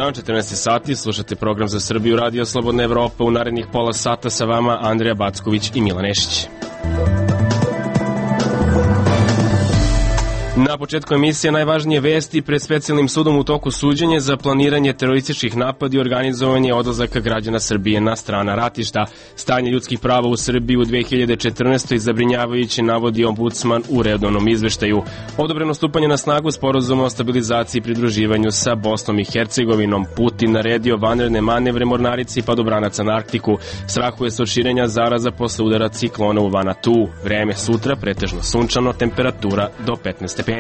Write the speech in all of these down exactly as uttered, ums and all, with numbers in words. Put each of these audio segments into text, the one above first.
dan, četrnaest sati, slušate program za Srbiju, Radio Slobodna Evropa. U narednih pola sata sa vama Andrija Backović i Milan Nešić. Na početku emisije najvažnije vesti. Pred specijalnim sudom u toku suđenja za planiranje terorističkih napada i organizovanje odlazaka građana Srbije na strana ratišta. Stanje ljudskih prava u Srbiji u dve hiljade četrnaestoj zabrinjavajuće, navodi ombudsman u redovnom izveštaju. Odobreno stupanje na snagu sporazuma o stabilizaciji i pridruživanju sa Bosnom i Hercegovinom. Putin naredio vanredne manevre mornarici i padobranaca na Arktiku. Strahuje se od širenja zaraza posle udara ciklona u Vanatu. Vreme sutra pretežno sunčano, temperatura do petnaest stepeni.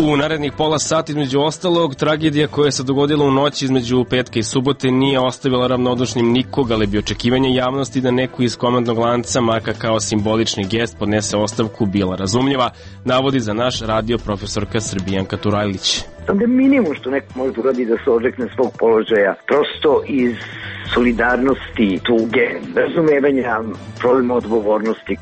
U narednih pola sata, između ostalog, tragedija koja se dogodila u noći između petka i subote nije ostavila ravnodušnim nikoga, ali bi očekivanje javnosti da neko iz komandnog lanca, makar kao simbolični gest, podnese ostavku bila razumljiva, navodi za naš radio profesorka Srbijanka Turajlić. Da je minimum što neko može uradi da se odrekne svog položaja, prosto iz solidarnosti, tuge, razumevanja, problema odgovornosti.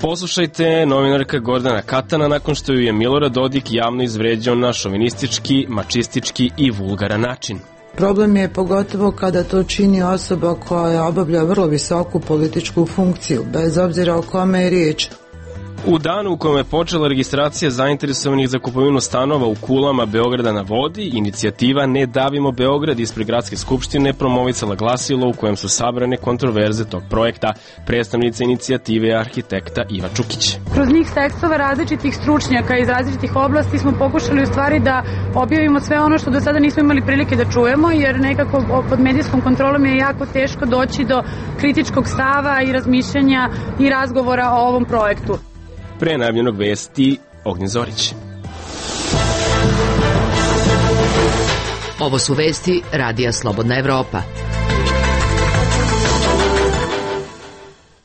Poslušajte novinarka Gordana Katana nakon što ju je Milorad Dodik javno izvređao na šovinistički, mačistički i vulgaran način. Problem je pogotovo kada to čini osoba koja obavlja vrlo visoku političku funkciju, bez obzira o kome je riječ. U danu u kojem je počela registracija zainteresovanih za kupovinu stanova u kulama Beograda na vodi, inicijativa Ne davimo Beograd ispred Gradske skupštine promovisala glasilo u kojem su sabrane kontroverze tog projekta. Predstavnica inicijative je arhitekta Iva Čukić. Kroz njih tekstova različitih stručnjaka iz različitih oblasti smo pokušali u stvari da objavimo sve ono što do sada nismo imali prilike da čujemo, jer nekako pod medijskom kontrolom je jako teško doći do kritičkog stava i razmišljanja i razgovora o ovom projektu. Pre najavljenog vesti Ognjen Zorić. Ovo su vesti Radija Slobodna Evropa.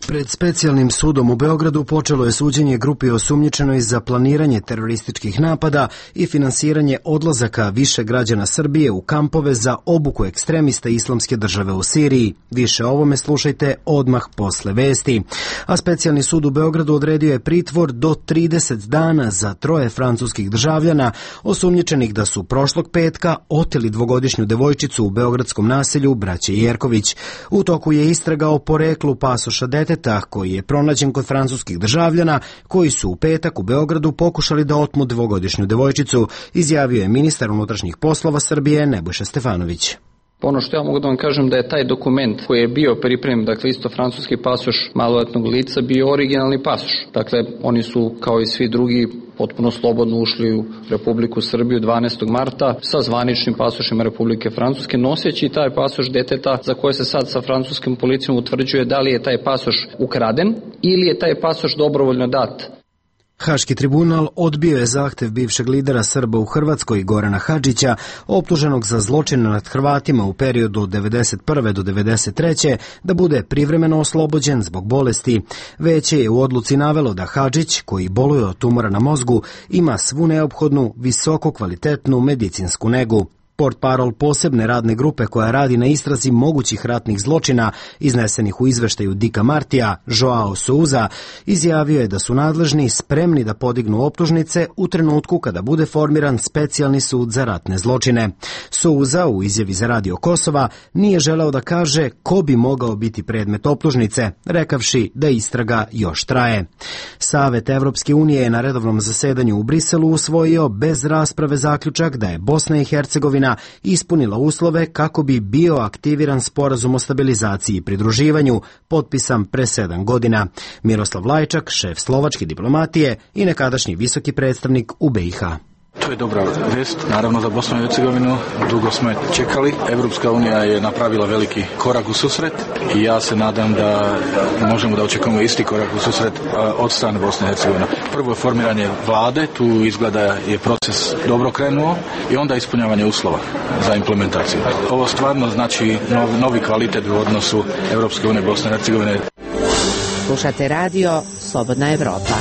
Pred specijalnim sudom u Beogradu počelo je suđenje grupi osumnjičenoj za planiranje terorističkih napada i finansiranje odlazaka više građana Srbije u kampove za obuku ekstremista Islamske države u Siriji. Više o ovome slušajte odmah posle vesti. A specijalni sud u Beogradu odredio je pritvor do trideset dana za troje francuskih državljana osumnjičenih da su prošlog petka oteli dvogodišnju devojčicu u beogradskom naselju Braće Jerković. U toku je istraga o poreklu pasoša deteta koji je pronađen kod francuskih državljana koji su u petak u Beogradu pokušali da otmu dvogodišnju devojčicu, izjavio je ministar unutrašnjih poslova Srbije Nebojša Stefanović. Ono što ja mogu da vam kažem da je taj dokument koji je bio pripremljen, dakle isto francuski pasoš maloletnog lica, bio originalni pasoš. Dakle, oni su kao i svi drugi potpuno slobodno ušli u Republiku Srbiju dvanaestog marta sa zvaničnim pasošima Republike Francuske, noseći taj pasoš deteta za koje se sad sa francuskim policijom utvrđuje da li je taj pasoš ukraden ili je taj pasoš dobrovoljno dat. Haški tribunal odbio je zahtev bivšeg lidera Srba u Hrvatskoj Gorana Hadžića, optuženog za zločine nad Hrvatima u periodu od devedeset prve do devedeset treće da bude privremeno oslobođen zbog bolesti. Veće je u odluci navelo da Hadžić, koji boluje od tumora na mozgu, ima svu neophodnu, visoko kvalitetnu medicinsku negu. Portparol posebne radne grupe koja radi na istrazi mogućih ratnih zločina iznesenih u izveštaju Dika Martija, Joao Souza, izjavio je da su nadležni spremni da podignu optužnice u trenutku kada bude formiran specijalni sud za ratne zločine. Souza u izjavi za Radio Kosova nije želeo da kaže ko bi mogao biti predmet optužnice, rekavši da istraga još traje. Savet Evropske unije je na redovnom zasedanju u Briselu usvojio bez rasprave zaključak da je Bosna i Hercegovina ispunila uslove kako bi bio aktiviran sporazum o stabilizaciji i pridruživanju, potpisan pre sedam godina. Miroslav Lajčak, šef slovačke diplomatije i nekadašnji visoki predstavnik u B i H. To je dobra vest, naravno za Bosnu i Hercegovinu, dugo smo je čekali. Evropska unija je napravila veliki korak u susret i ja se nadam da možemo da očekujemo isti korak u susret od strane Bosne i Hercegovine. Prvo je formiranje vlade, tu izgleda je proces dobro krenuo i onda ispunjavanje uslova za implementaciju. Ovo stvarno znači novi kvalitet u odnosu Evropske unije i Bosne i Hercegovine. Slušate radio Slobodna Evropa.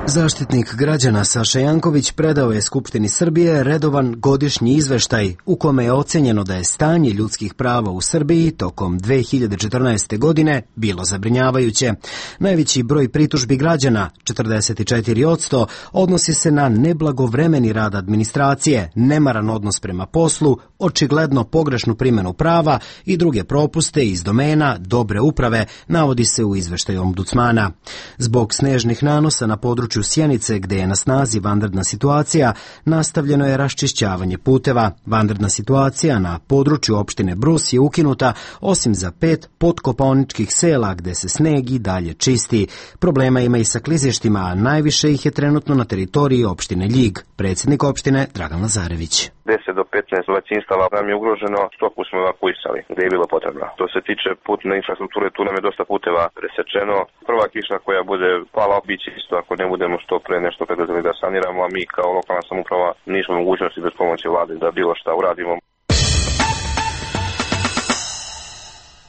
Zaštitnik građana Saša Janković predao je Skupštini Srbije redovan godišnji izveštaj u kome je ocenjeno da je stanje ljudskih prava u Srbiji tokom dve hiljade četrnaeste. godine bilo zabrinjavajuće. Najveći broj pritužbi građana, četrdeset četiri posto, odnosi se na neblagovremeni rad administracije, nemaran odnos prema poslu, očigledno pogrešnu primjenu prava i druge propuste iz domena dobre uprave, navodi se u izveštaju ombudsmana. Zbog snežnih nanosa na području Sjenice, gde je na snazi vanredna situacija, nastavljeno je raščišćavanje puteva. Vanredna situacija na području opštine Brus je ukinuta, osim za pet podkopaoničkih sela gde se sneg i dalje čisti. Problema ima i sa klizištima, a najviše ih je trenutno na teritoriji opštine Ljig. Predsjednik opštine Dragan Lazarević. deset do petnaest domaćinstava nam je ugroženo, stoku smo evakuisali gde je bilo potrebno. Što se tiče putne infrastrukture, tu nam je dosta puteva presečeno. Prva kiša koja bude pala, biće isto ako ne budemo što pre nešto preduzeli da saniramo, a mi kao lokalna samouprava nismo mogućnosti bez pomoći vlade da bilo šta uradimo.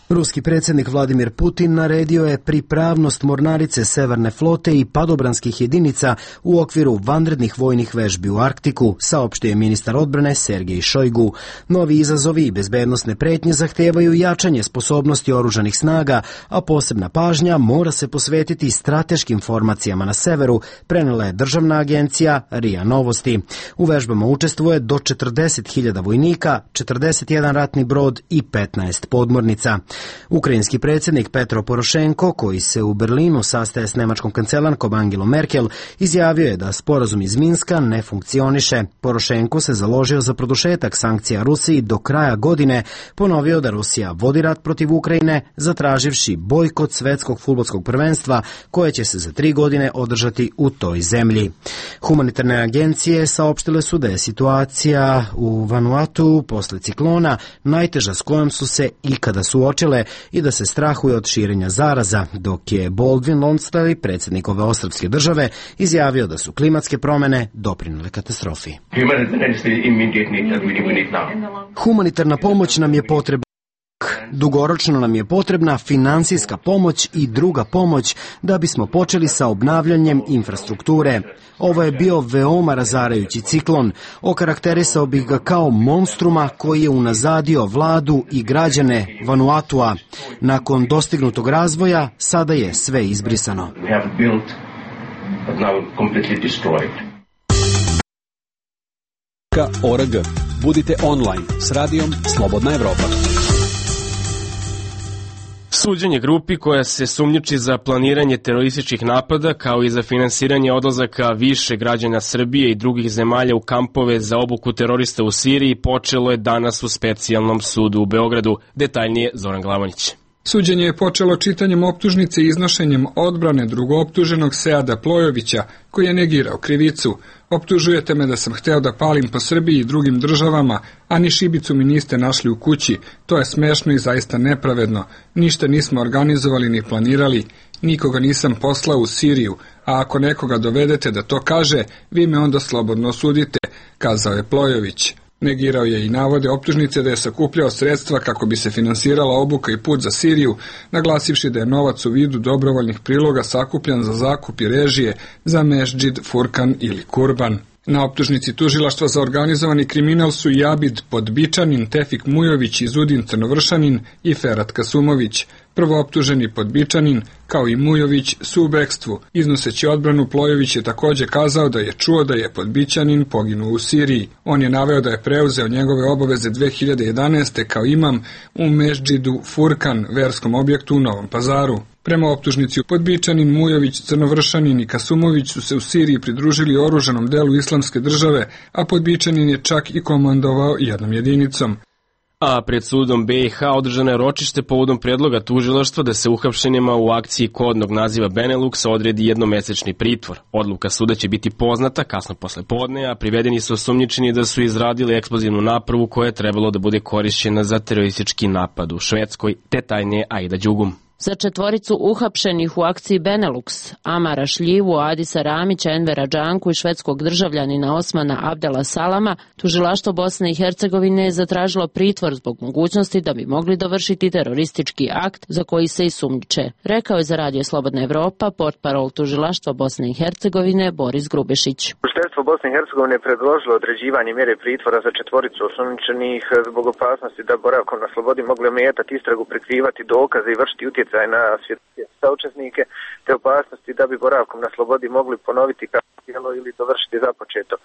Ruski predsjednik Vladimir Putin naredio je pripravnost mornarice Severne flote i padobranskih jedinica u okviru vanrednih vojnih vežbi u Arktiku, saopštio je ministar odbrane Sergej Šojgu. Novi izazovi i bezbednosne pretnje zahtevaju jačanje sposobnosti oružanih snaga, a posebna pažnja mora se posvetiti strateškim formacijama na severu, prenela je državna agencija R I A Novosti. U vežbama učestvuje do četrdeset hiljada vojnika, četrdeset jedan ratni brod i petnaest podmornica. Ukrajinski predsjednik Petro Porošenko, koji se u Berlinu sastaje s nemačkom kancelarkom Angelom Merkel, izjavio je da sporazum iz Minska ne funkcioniše. Porošenko se založio za produžetak sankcija Rusiji do kraja godine, ponovio da Rusija vodi rat protiv Ukrajine, zatraživši bojkot svetskog fudbalskog prvenstva koje će se za tri godine održati u toj zemlji. Humanitarne agencije saopštile su da je situacija u Vanuatu posle ciklona najteža s kojom su se ikada suočile i da se strahuje od širenja zaraza, dok je Baldwin Lonsdale, predsjednik ove ostrvske države, izjavio da su klimatske promjene doprinele katastrofi. Humanitarna pomoć nam je potrebna. Dugoročno nam je potrebna finansijska pomoć i druga pomoć da bismo počeli sa obnavljanjem infrastrukture. Ovo je bio veoma razarajući ciklon. Okarakterisao bih ga kao monstruma koji je unazadio vladu i građane Vanuatua. Nakon dostignutog razvoja, sada je sve izbrisano. .org. Budite online s radijom Slobodna Evropa. Suđenje grupi koja se sumnjiči za planiranje terorističkih napada kao i za finansiranje odlazaka više građana Srbije i drugih zemalja u kampove za obuku terorista u Siriji počelo je danas u specijalnom sudu u Beogradu. Detaljnije Zoran Glavonić. Suđenje je počelo čitanjem optužnice i iznošenjem odbrane drugooptuženog Seada Plojovića, koji je negirao krivicu. Optužujete me da sam hteo da palim po Srbiji i drugim državama, a ni šibicu mi niste našli u kući. To je smešno i zaista nepravedno. Ništa nismo organizovali ni planirali. Nikoga nisam poslao u Siriju, a ako nekoga dovedete da to kaže, vi me onda slobodno osudite, kazao je Plojović. Negirao je i navode optužnice da je sakupljao sredstva kako bi se finansirala obuka i put za Siriju, naglasivši da je novac u vidu dobrovoljnih priloga sakupljan za zakup i režije za Mešdžid, Furkan ili Kurban. Na optužnici tužilaštva za organizovani kriminal su i Abid Podbičanin, Tefik Mujović i Zudin Crnovršanin i Ferat Kasumović. Prvo optuženi Podbičanin, kao i Mujović, su u bekstvu. Iznoseći odbranu, Plojović je također kazao da je čuo da je Podbičanin poginuo u Siriji. On je naveo da je preuzeo njegove obaveze dve hiljade jedanaeste. kao imam u Mešdžidu Furkan, verskom objektu u Novom Pazaru. Prema optužnici, Podbičanin, Mujović, Crnovršanin i Kasumović su se u Siriji pridružili oružanom delu islamske države, a Podbičanin je čak i komandovao jednom jedinicom. A pred sudom B i H održano je ročište povodom predloga tužilaštva da se uhapšenima u akciji kodnog naziva Benelux odredi jednomesečni pritvor. Odluka suda će biti poznata kasno posle podne, a privedeni su osumnjičeni da su izradili eksplozivnu napravu koja je trebalo da bude korišćena za teroristički napad u Švedskoj. Detaljnije Aida Đugum. Za četvoricu uhapšenih u akciji Benelux, Amara Šljivu, Adisa Ramića, Envera Džanku i švedskog državljanina Osmana Abdela Salama, tužilaštvo Bosne i Hercegovine je zatražilo pritvor zbog mogućnosti da bi mogli dovršiti teroristički akt za koji se i sumnjiče. Rekao je za Radio Slobodna Evropa portparol tužilaštva Bosne i Hercegovine Boris Grubešić. Tužilaštvo Bosne i Hercegovine je predložilo određivanje mjere pritvora za četvoricu osumnjičenih zbog opasnosti da boravkom na slobodi mogli ometati istragu, prikrivati dokaze i vršiti utjecaj na svjedoke saučesnike, te opasnosti da bi boravkom na slobodi mogli ponoviti kazneno djelo ili dovršiti započeto.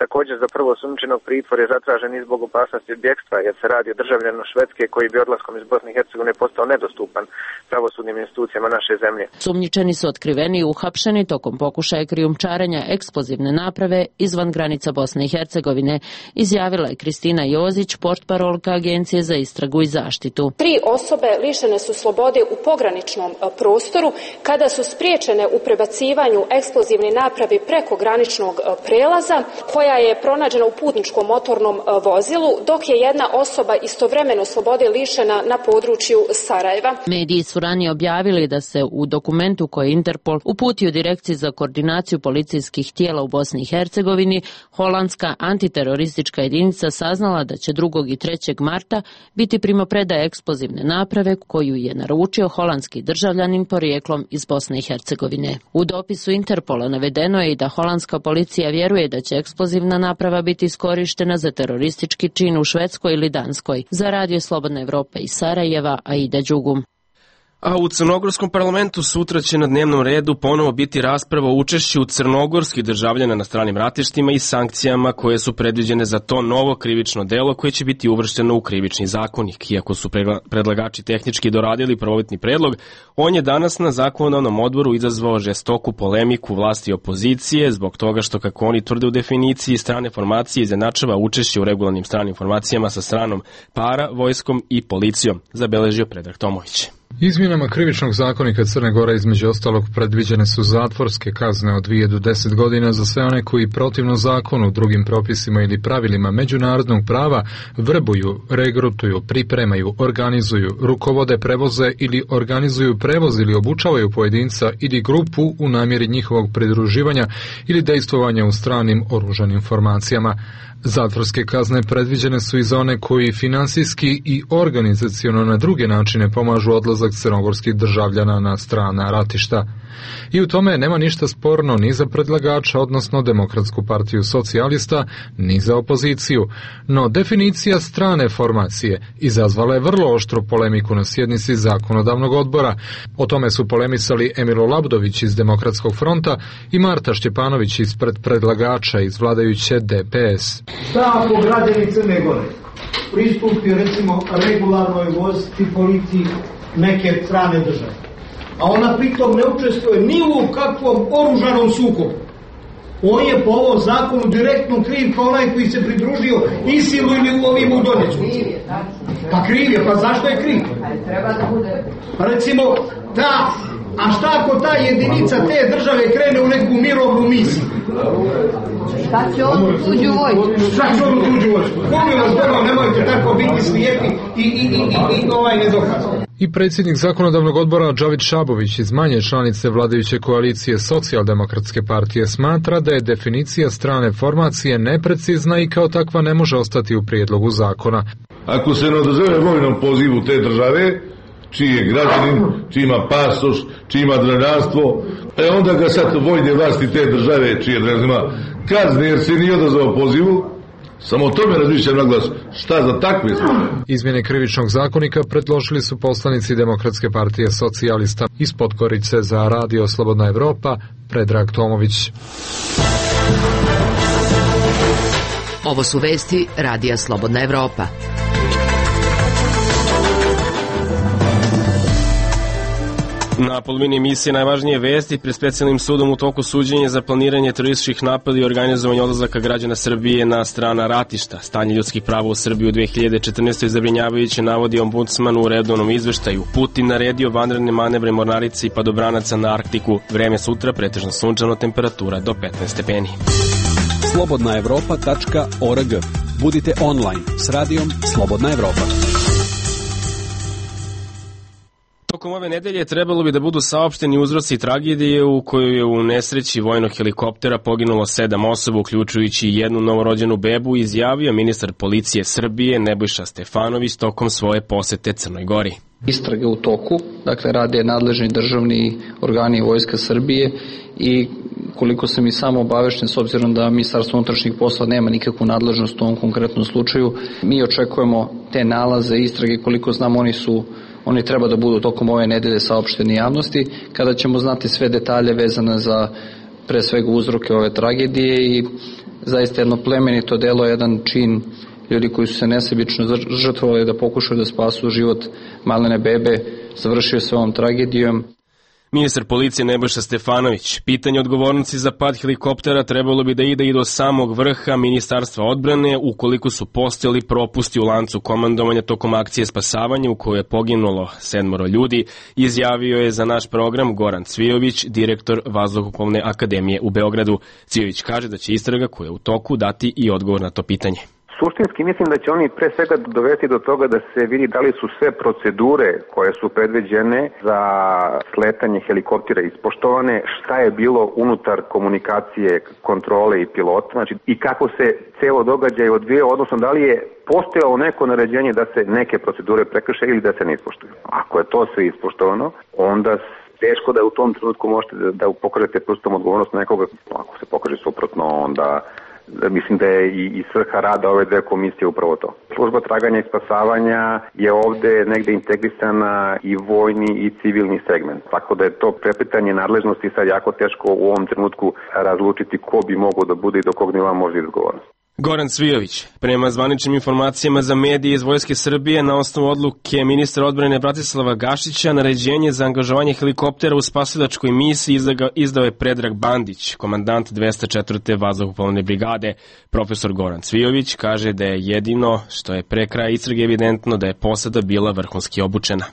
Također za prvo osumnjičenog pritvor je zatražen i zbog opasnosti od bjegstva, jer se radi o državljaninu Švedske koji bi odlaskom iz Bosne i Hercegovine postao nedostupan pravosudnim institucijama naše zemlje. Sumnjičeni su otkriveni i uhapšeni tokom pokušaja krijumčarenja eksplozivne naprave izvan granica Bosne i Hercegovine, izjavila je Kristina Jozić, portparolka Agencije za istragu i zaštitu. Tri osobe lišene su slobode u pograničnom prostoru kada su spriječene u prebacivanju eksplozivne naprave preko graničnog prelaza, koja je pronađena u putničkom motornom vozilu, dok je jedna osoba istovremeno slobode lišena na području Sarajeva. Mediji su ranije objavili da se u dokumentu koji Interpol uputio Direkciji za koordinaciju policijskih tijela u Bosni i Hercegovini, holandska antiteroristička jedinica saznala da će drugog i trećeg marta biti primopredaja eksplozivne naprave koju je naručio holandski državljanin porijeklom iz Bosne i Hercegovine. U dopisu Interpola navedeno je i da holandska policija vjeruje da će eksplozivna naprava biti iskorištena za teroristički čin u Švedskoj ili Danskoj. Za Radio Slobodna Evropa iz Sarajeva, Aida Đugum. A u crnogorskom parlamentu sutra će na dnevnom redu ponovo biti rasprava o učešću crnogorskih državljana na stranim ratištima i sankcijama koje su predviđene za to novo krivično delo koje će biti uvršteno u krivični zakonik. Iako su predlagači tehnički doradili prvobitni predlog, on je danas na zakonodavnom odboru izazvao žestoku polemiku vlasti i opozicije zbog toga što, kako oni tvrde u definiciji, strane formacije izjednačava učešće u regularnim stranim formacijama sa stranom para, vojskom i policijom, zabeležio Predrag Tomović. Izmjenama krivičnog zakonika Crne Gore između ostalog predviđene su zatvorske kazne od dvije do deset godina za sve one koji protivno zakonu, drugim propisima ili pravilima međunarodnog prava vrbuju, regrutuju, pripremaju, organizuju, rukovode, prevoze ili organizuju prevoz ili obučavaju pojedinca ili grupu u namjeri njihovog pridruživanja ili dejstvovanja u stranim oružanim formacijama. Zatvorske kazne predviđene su i za one koji finansijski i organizaciono na druge načine pomažu odlazak crnogorskih državljana na strana ratišta. I u tome nema ništa sporno ni za predlagača, odnosno Demokratsku partiju socijalista, ni za opoziciju. No definicija strane formacije izazvala je vrlo oštru polemiku na sjednici zakonodavnog odbora. O tome su polemisali Emilo Labdović iz Demokratskog fronta i Marta Šćepanović ispred predlagača iz vladajuće D P S. Šta ako građani Crne Gore pristupi recimo regularnoj vojsci, policiji neke strane države, a ona pritom ne učestvuje ni u kakvom oružanom sukobu? On je po ovom zakonu direktno kriv kao onaj koji se pridružio Isilu ili u ovim u Donjecku. Pa kriv je, pa zašto je kriv? Pa recimo, ta, a šta ako ta jedinica te države krene u neku mirovnu misiju? Šta će on u tuđu vojsku? Šta će on u tuđu vojsku? Molim vas, dobro, nemojte tako biti slijepi i, i, i, i, i ovaj nedokazan. I predsjednik zakonodavnog odbora Džavid Šabović iz manje članice vladajuće koalicije Socijaldemokratske partije smatra da je definicija strane formacije neprecizna i kao takva ne može ostati u prijedlogu zakona. Ako se ne odazove vojnom pozivu te države, čiji je građanin, čiji ima pasoš, čiji ima državljanstvo, e onda ga sad vojne vlasti te države, čije državljanstvo kazne jer se nije odazvao pozivu, samo o tome razmišljam na glas, šta za takve slučaje. Izmjene krivičnog zakonika predložili su poslanici Demokratske partije socijalista iz Podgorice. Za Radio Slobodna Evropa, Predrag Tomović. Ovo su vesti Radija Slobodna Evropa. Na polovini emisije najvažnije vesti pred specijalnim sudom u toku suđenja za planiranje terorističkih napada i organizovanje odlazaka građana Srbije na strana ratišta. Stanje ljudskih prava u Srbiji u dve hiljade četrnaestoj zabrinjavajuće, navodi ombudsman u redovnom izveštaju. Putin naredio vanredne manevre mornarice i padobranaca na Arktiku. Vreme sutra pretežno sunčano, temperatura do petnaest stepeni. slobodna evropa tačka org. Budite online s radijom Slobodna Evropa. Tokom ove nedelje trebalo bi da budu saopšteni uzroci tragedije u kojoj je u nesreći vojnog helikoptera poginulo sedam osoba, uključujući jednu novorođenu bebu, izjavio ministar policije Srbije Nebojša Stefanović tokom svoje posete Crnoj Gori. Istrage u toku, dakle rade nadležni državni organi Vojska Srbije i koliko sam i samo obavešten, s obzirom da Ministarstvo unutrašnjih poslova nema nikakvu nadležnost u ovom konkretnom slučaju, mi očekujemo te nalaze istrage, koliko znam oni su Oni treba da budu tokom ove nedelje saopšteni javnosti, kada ćemo znati sve detalje vezane za pre svega uzroke ove tragedije i zaista jedno plemenito delo, jedan čin ljudi koji su se nesebično žrtvovali da pokušaju da spasu život malene bebe, završio se ovom tragedijom. Ministar policije Nebojša Stefanović, pitanje odgovornosti za pad helikoptera trebalo bi da ide i do samog vrha Ministarstva odbrane ukoliko su postojali propusti u lancu komandovanja tokom akcije spasavanja u kojoj je poginulo sedmoro ljudi, izjavio je za naš program Goran Cvijović, direktor Vazduhoplovne akademije u Beogradu. Cvijović kaže da će istraga koja je u toku dati i odgovor na to pitanje. Suštinski mislim da će oni pre svega dovesti do toga da se vidi da li su sve procedure koje su predviđene za sletanje helikoptera ispoštovane, šta je bilo unutar komunikacije, kontrole i pilota, znači i kako se celo događaj odvija, odnosno da li je postojalo neko naređenje da se neke procedure prekrše ili da se ne ispoštuju. Ako je to sve ispoštovano, onda teško da u tom trenutku možete da, da pokažete prstom odgovornost nekoga. Ako se pokaže suprotno, onda mislim da je i, i svrha rada ove dve komisije upravo to. Služba traganja i spasavanja je ovde negde integrisana i vojni i civilni segment. Tako da je to prepletanje nadležnosti sad jako teško u ovom trenutku razlučiti ko bi mogao da bude i do kog nivoa može odgovornost. Goran Cvijović, prema zvaničnim informacijama za medije iz Vojske Srbije, na osnovu odluke ministra odbrane Bratislava Gašića, naređenje za angažovanje helikoptera u spasilačkoj misiji izdao je Predrag Bandić, komandant dvesta četvrte vazduhoplovne brigade. Profesor Goran Cvijović kaže da je jedino što je pre kraja istrage evidentno da je posada bila vrhunski obučena.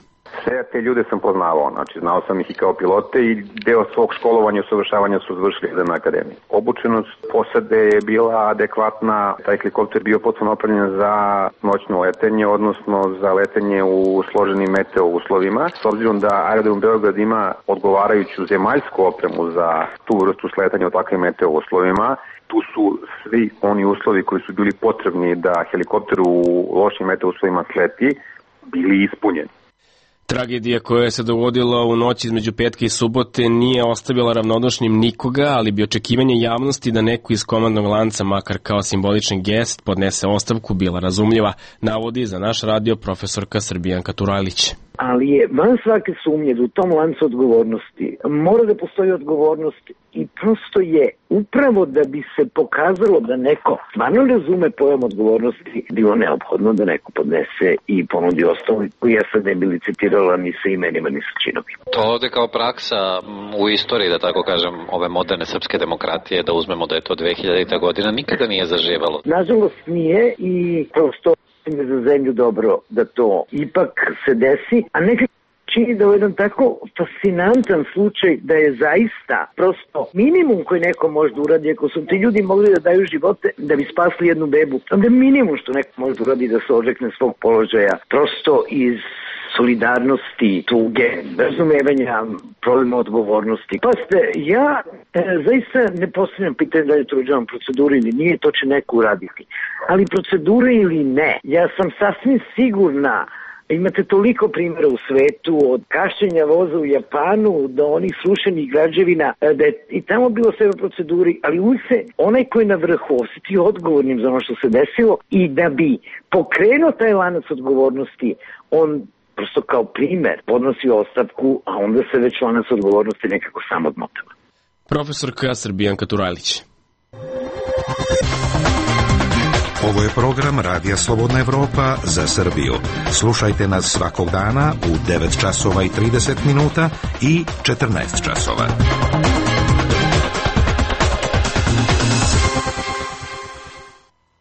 Sve te ljude sam poznavao, znači znao sam ih i kao pilote i deo svog školovanja i usavršavanja su završili na akademiji. Obučenost posade je bila adekvatna, taj helikopter bio potpuno opremljen za noćno letenje, odnosno za letenje u složenim meteo uslovima. S obzirom da aerodrom Beograd ima odgovarajuću zemaljsku opremu za tu vrstu sletanja u takvim meteo uslovima, tu su svi oni uslovi koji su bili potrebni da helikopter u lošim meteo uslovima sleti, bili ispunjeni. Tragedija koja se dogodila u noći između petka i subote nije ostavila ravnodušnim nikoga, ali bi očekivanje javnosti da neko iz komandnog lanca, makar kao simbolični gest, podnese ostavku bila razumljiva, navodi za naš radio profesorka Srbijanka Turajlić. Ali je van svake sumnje da u tom lancu odgovornosti mora da postoji odgovornost i prosto je upravo da bi se pokazalo da neko stvarno razume pojam odgovornosti, bilo neophodno da neko podnese i ponudi ostavu koju ja sad ne bi licitirala ni sa imenima ni sa činovima. To ovde kao praksa u istoriji, da tako kažem, ove moderne srpske demokratije, da uzmemo da je to dve hiljadita godina, nikada nije zaživalo. Nažalost nije i prosto je za zemlju dobro da to ipak se desi, a nekako čini da je jedan tako fascinantan slučaj da je zaista prosto minimum koji neko može da uradi, ako su ti ljudi mogli da daju živote da bi spasli jednu bebu, onda minimum što neko može da uradi da se odrekne svog položaja, prosto iz solidarnosti, tuge, razumevanja problema odgovornosti. Pa ste, ja e, zaista ne postavljam pitanje da je to uđevam proceduru ili nije, to će neko uraditi. Ali procedura ili ne, ja sam sasvim sigurna. Imate toliko primjera u svetu, od kašćenja voza u Japanu do onih srušenih građevina, da je i tamo bilo sve u proceduri, ali uvijek se onaj koji je na vrhu osjeti odgovornim za ono što se desilo i da bi pokrenuo taj lanac odgovornosti, on prosto kao primer podnosi ostavku, a onda se već lanac odgovornosti nekako sam odmotava. Profesorka Srbijanka Turajlić. Ovo je program Radija Slobodna Evropa za Srbiju. Slušajte nas svakog dana u devet časova i trideset minuta i četrnaest časova.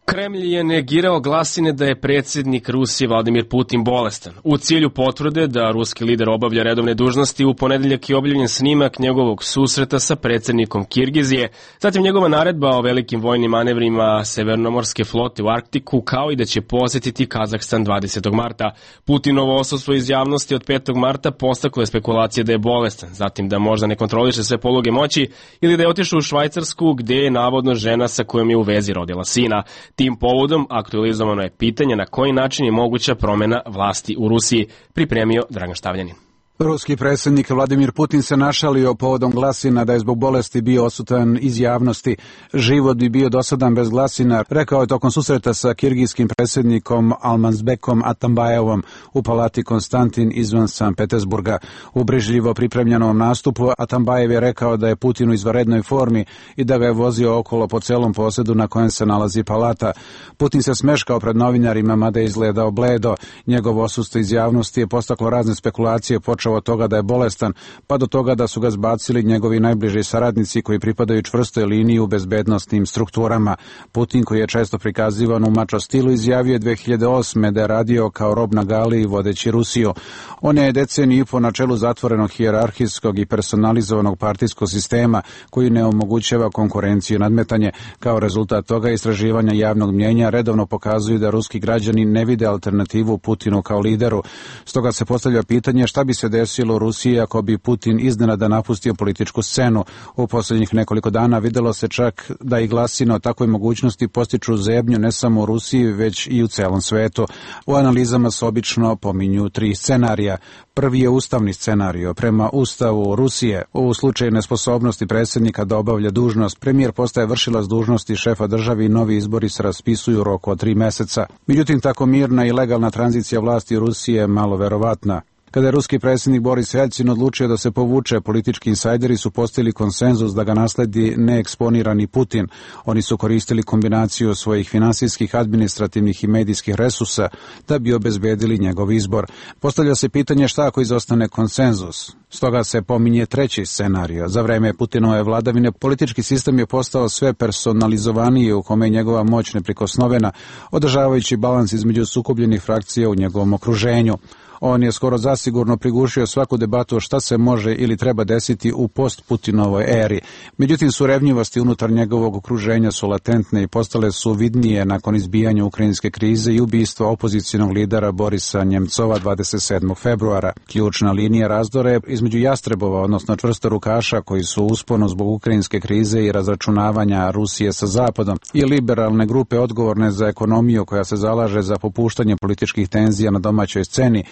Kremlj Kremlj je negirao glasine da je predsjednik Rusije Vladimir Putin bolestan. U cilju potvrde da ruski lider obavlja redovne dužnosti, u ponedeljak je objavljen snimak njegovog susreta sa predsjednikom Kirgizije, zatim njegova naredba o velikim vojnim manevrima Severnomorske flote u Arktiku, kao i da će posjetiti Kazahstan dvadesetog marta. Putinovo odsustvo iz javnosti od petog marta postaklo je spekulacije da je bolestan, zatim da možda ne kontroliše sve poluge moći ili da je otišao u Švajcarsku gdje je navodno žena sa kojom je u vezi rodila sina. Tim povodom aktualizovano je pitanje na koji način je moguća promjena vlasti u Rusiji, pripremio Dragan Štavljanin. Ruski predsjednik Vladimir Putin se našalio povodom glasina da je zbog bolesti bio odsutan iz javnosti. Život bi bio dosadan bez glasina, rekao je tokom susreta sa kirgijskim predsjednikom Almanzbekom Atambajevom u palati Konstantin izvan Sankt Petersburga. U brižljivo pripremljenom nastupu Atambajev je rekao da je Putin u izvanrednoj formi i da ga je vozio okolo po celom posjedu na kojem se nalazi palata. Putin se smeškao pred novinarima, mada je izgledao bledo. Njegovo odsustvo iz javnosti je postaklo razne spekulacije, počeo od toga da je bolestan, pa do toga da su ga zbacili njegovi najbliži saradnici koji pripadaju čvrstoj liniji u bezbednostnim strukturama. Putin, koji je često prikazivan u mačo stilu, izjavio je dve hiljade osme da je radio kao rob na gali vodeći Rusiju. On je deceniju i po na čelu zatvorenog hijerarhijskog i personalizovanog partijskog sistema koji ne omogućava konkurenciju i nadmetanje. Kao rezultat toga istraživanja javnog mnjenja redovno pokazuju da ruski građani ne vide alternativu Putinu kao lideru. Stoga se postavlja pitanje šta bi se desilo u Rusiji ako bi Putin iznenada napustio političku scenu. U posljednjih nekoliko dana videlo se čak da i glasine o takvoj mogućnosti postiču zebnju ne samo u Rusiji, već i u celom svetu. U analizama se obično pominju tri scenarija. Prvi je ustavni scenario. Prema Ustavu Rusije, u slučaju nesposobnosti predsjednika da obavlja dužnost, premijer postaje vršilac dužnosti šefa države i novi izbori se raspisuju u roku od tri meseca. Međutim, tako mirna i legalna tranzicija vlasti u Rusiji je malo verovatna. Kada je ruski predsjednik Boris Jelcin odlučio da se povuče, politički insajderi su postigli konsenzus da ga nasledi neeksponirani Putin. Oni su koristili kombinaciju svojih finansijskih, administrativnih i medijskih resursa da bi obezbedili njegov izbor. Postavlja se pitanje šta ako izostane konsenzus. Stoga se pominje treći scenario. Za vreme Putinove vladavine politički sistem je postao sve personalizovaniji, u kome je njegova moć neprikosnovena, održavajući balans između sukobljenih frakcija u njegovom okruženju. On je skoro zasigurno prigušio svaku debatu o šta se može ili treba desiti u post-Putinovoj eri. Međutim, surevnjivosti unutar njegovog okruženja su latentne i postale su vidnije nakon izbijanja ukrajinske krize i ubistva opozicionog lidera Borisa Njemcova dvadeset sedmog februara. Ključna linija razdora je između jastrebova, odnosno čvrstorukaša koji su u usponu zbog ukrajinske krize i razračunavanja Rusije sa Zapadom, i liberalne grupe odgovorne za ekonomiju koja se zalaže za popuštanje političkih tenzija na domaćoj sceni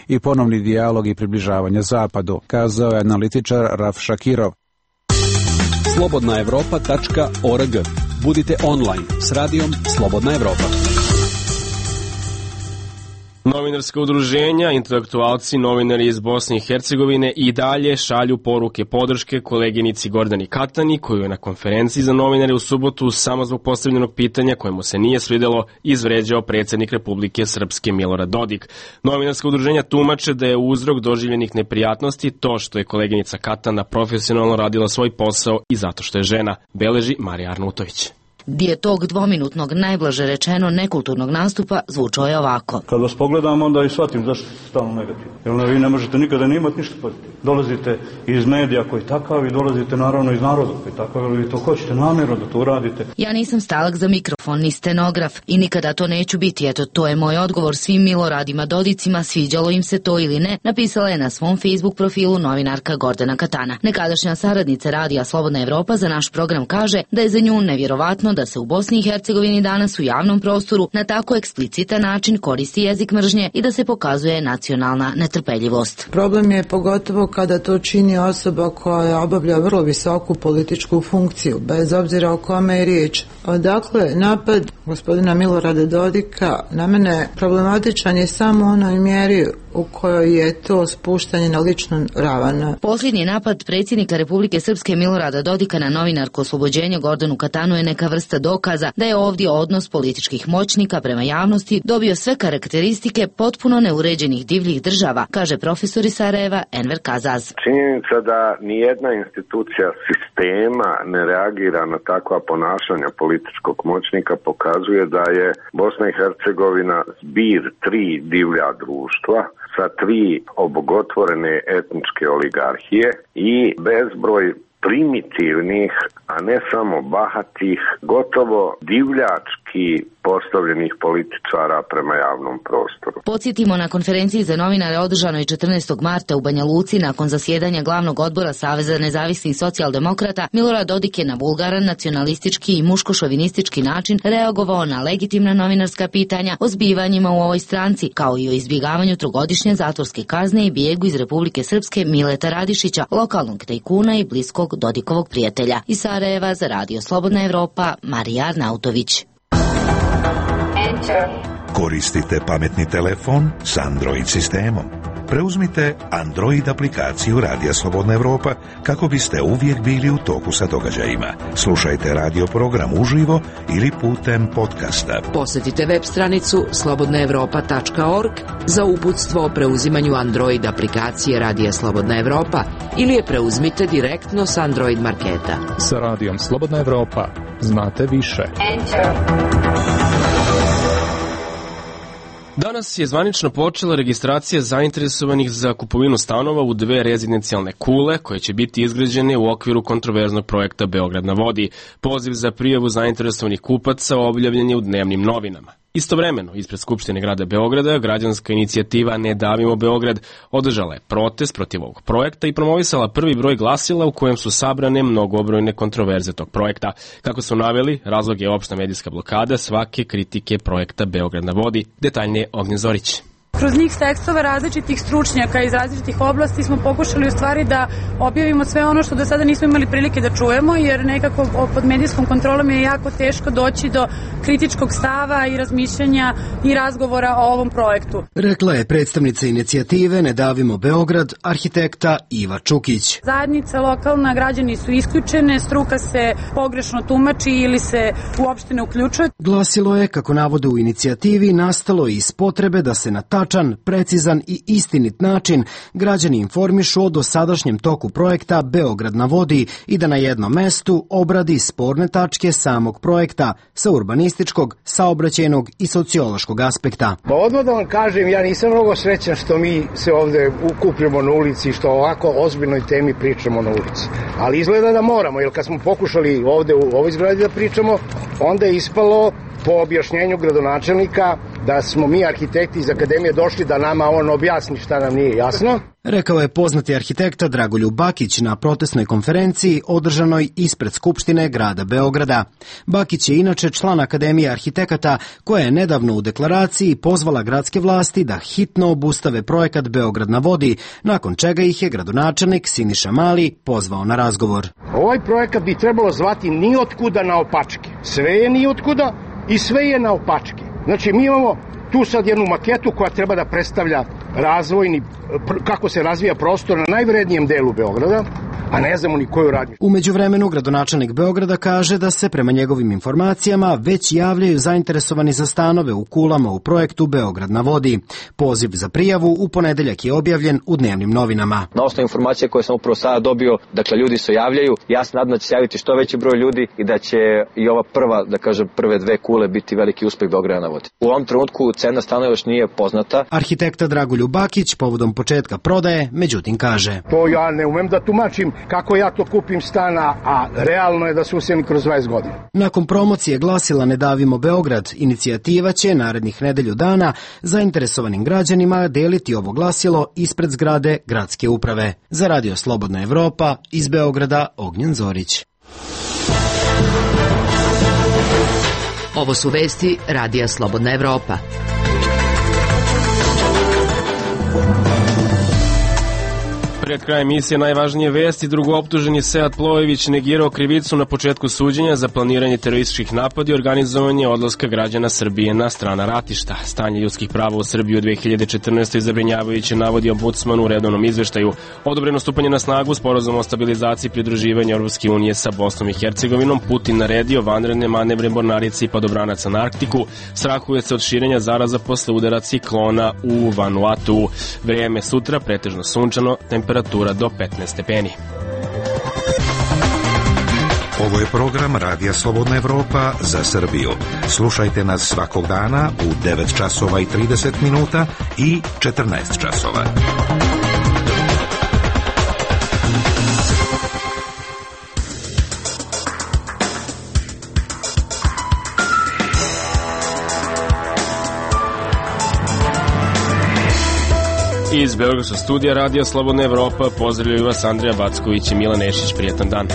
i ponovni dijalog i približavanje Zapadu, kazao je analitičar Raf Šakirov. slobodna evropa tačka org. Budite online s radijom Slobodna Evropa. Novinarska udruženja, intelektualci, novinari iz Bosne i Hercegovine i dalje šalju poruke podrške koleginici Gordani Katani, koju je na konferenciji za novinare u subotu samo zbog postavljenog pitanja kojemu se nije svidelo izvređao predsjednik Republike Srpske Milorad Dodik. Novinarska udruženja tumače da je uzrok doživljenih neprijatnosti to što je koleginica Katana profesionalno radila svoj posao i zato što je žena, beleži Marija Arnutović. Dio tog dvominutnog, najblaže rečeno nekulturnog nastupa zvučao je ovako. Kad vas pogledam, onda i shvatim zašto ste stalno negativni. Jer vi ne možete nikada ne imati ništa pozitivno. Dolazite iz medija koji je takav i dolazite naravno iz naroda koji je takav, ali vi to hoćete namjerno da to uradite. Ja nisam stalak za mikrofon, ni stenograf i nikada to neću biti. Eto, to je moj odgovor svim Miloradima Dodicima, sviđalo im se to ili ne, napisala je na svom Facebook profilu novinarka Gordana Katana. Nekadašnja saradnica Radija Slobodna Evropa za naš program kaže da je za nju nevjerovatno da se u Bosni i Hercegovini danas u javnom prostoru na tako eksplicitan način koristi jezik mržnje i da se pokazuje nacionalna netrpeljivost. Problem je pogotovo kada to čini osoba koja obavlja vrlo visoku političku funkciju, bez obzira o kome je riječ. Dakle, napad gospodina Milorada Dodika na mene problematičan je samo u onoj mjeri u kojoj je to spuštanje na ličnu ravan. Posljednji napad predsjednika Republike Srpske Milorada Dodika na novinarku Oslobođenje Gordanu Katanu je neka vrsta dokaza da je ovdje odnos političkih moćnika prema javnosti dobio sve karakteristike potpuno neuređenih divljih država, kaže profesor iz Sarajeva Enver Kazaz. Činjenica da nijedna institucija sistema ne reagira na takva ponašanja političkog moćnika pokazuje da je Bosna i Hercegovina zbir tri divlja društva sa tri obogotvorene etničke oligarhije i bezbroj primitivnih, a ne samo bahatih, gotovo divljački postavljenih političara prema javnom prostoru. Podsjetimo, na konferenciji za novinare održanoj četrnaestog marta u Banja Luci nakon zasjedanja glavnog odbora Saveza nezavisnih socijaldemokrata, Milorad Dodik je na vulgaran, nacionalistički i muško-šovinistički način reagovao na legitimna novinarska pitanja o zbivanjima u ovoj stranci, kao i o izbjegavanju trogodišnje zatvorske kazne i bijegu iz Republike Srpske Mileta Radišića, lokalnog tajkuna i bliskog Dodikovog prijatelja. Iz Sarajeva za Radio Slobodna Evropa, Marija Arnautović. Koristite pametni telefon s Android sistemom. Preuzmite Android aplikaciju Radija Slobodna Evropa kako biste uvijek bili u toku sa događajima. Slušajte radio program uživo ili putem podcasta. Posjetite web stranicu slobodna evropa tačka org za uputstvo o preuzimanju Android aplikacije Radija Slobodna Evropa ili je preuzmite direktno s Android marketa. Sa Radijom Slobodna Evropa znate više. Danas je zvanično počela registracija zainteresovanih za kupovinu stanova u dve rezidencijalne kule koje će biti izgrađene u okviru kontroverznog projekta Beograd na vodi. Poziv za prijavu zainteresovanih kupaca objavljen je u dnevnim novinama. Istovremeno, ispred Skupštine grada Beograda, građanska inicijativa Ne davimo Beograd održala je protest protiv ovog projekta i promovisala prvi broj glasila u kojem su sabrane mnogobrojne kontroverze tog projekta. Kako su naveli, razlog je opšta medijska blokada svake kritike projekta Beograd na vodi. Detaljnije Ognjen Zorić. Kroz njih tekstova različitih stručnjaka iz različitih oblasti smo pokušali u stvari da objavimo sve ono što do sada nismo imali prilike da čujemo, jer nekako pod medijskom kontrolom je jako teško doći do kritičkog stava i razmišljanja i razgovora o ovom projektu. Rekla je predstavnica inicijative Ne davimo Beograd, arhitekta Iva Čukić. Zajednica lokalna, građani su isključene, struka se pogrešno tumači ili se uopšte ne uključuje. Glasilo je, kako navode u inicijativi, nastalo iz potrebe da se na tačan, precizan i istinit način građani informišu o dosadašnjem toku projekta Beograd na vodi i da na jednom mestu obradi sporne tačke samog projekta sa urbanističkog, saobraćajnog i sociološkog aspekta. Pa odmah da vam kažem, ja nisam mnogo srećan što mi se ovde ukupljamo na ulici, što ovako ozbiljnoj temi pričamo na ulici. Ali izgleda da moramo, jer kad smo pokušali ovde u ovoj zgradi da pričamo, onda je ispalo po objašnjenju gradonačelnika da smo mi arhitekti iz akademije došli da nama on objasni šta nam nije jasno. Rekao je poznati arhitekta Dragoljub Bakić na protestnoj konferenciji održanoj ispred Skupštine grada Beograda. Bakić je inače član Akademije arhitekata koja je nedavno u deklaraciji pozvala gradske vlasti da hitno obustave projekat Beograd na vodi, nakon čega ih je gradonačelnik Siniša Mali pozvao na razgovor. Ovaj projekat bi trebalo zvati Niotkuda naopačke. Sve je niotkuda i sve je naopačke. Znači mi imamo tu sad jednu maketu koja treba da predstavlja razvojni, kako se razvija prostor na najvrednijem delu Beograda, a ne znamo ni koju radi. U međuvremenu gradonačelnik Beograda kaže da se prema njegovim informacijama već javljaju zainteresovani za stanove u kulama u projektu Beograd na vodi. Poziv za prijavu u ponedeljak je objavljen u dnevnim novinama. Na osnovu informacije koje sam upravo sada dobio, dakle ljudi se javljaju, ja se nadam da će se javiti što veći broj ljudi i da će i ova prva, da kažem, prve dve kule biti veliki uspeh Beograda na vodi. U ovom trenutku cena stanova još nije poznata. Arhitekta Dragoljub Bakić povodom početka prodaje, međutim kaže: To ja ne umem da tumačim kako ja to kupim stana, a realno je da se useli kroz dvadeset godina. Nakon promocije glasila Ne davimo Beograd, inicijativa će narednih nedelju dana zainteresovanim građanima deliti ovo glasilo ispred zgrade gradske uprave. Za Radio Slobodna Evropa, iz Beograda, Ognjen Zorić. Ovo su vesti Radija Slobodna Evropa. Pred krajem emisije najvažnije vesti. Drugooptuženi Sead Plojević negirao krivicu na početku suđenja za planiranje terorističkih napada i organizovanje odlaska građana Srbije na strana ratišta. Stanje ljudskih prava u Srbiji u dve hiljade četrnaestoj zabrinjavajuće, navodi ombudsman u redovnom izveštaju. Odobreno stupanje na snagu sporazuma o stabilizaciji i pridruživanju Europske unije sa Bosnom i Hercegovinom. Putin naredio vanredne manevre mornarice i padobranaca na Arktiku. Strahuje se od širenja zaraza posle udara ciklona u Vanuatu. Vrijeme sutra pretežno sunčano, temperatura do petnaest stepeni. Ovo je program Radija Slobodna Evropa za Srbiju. Slušajte nas svakog dana u devet časova i trideset minuta i četrnaest časova. Iz Beogradskog studija Radija Slobodna Evropa pozdravljaju vas Andrija Backović i Milan Nešić. Prijetan dan.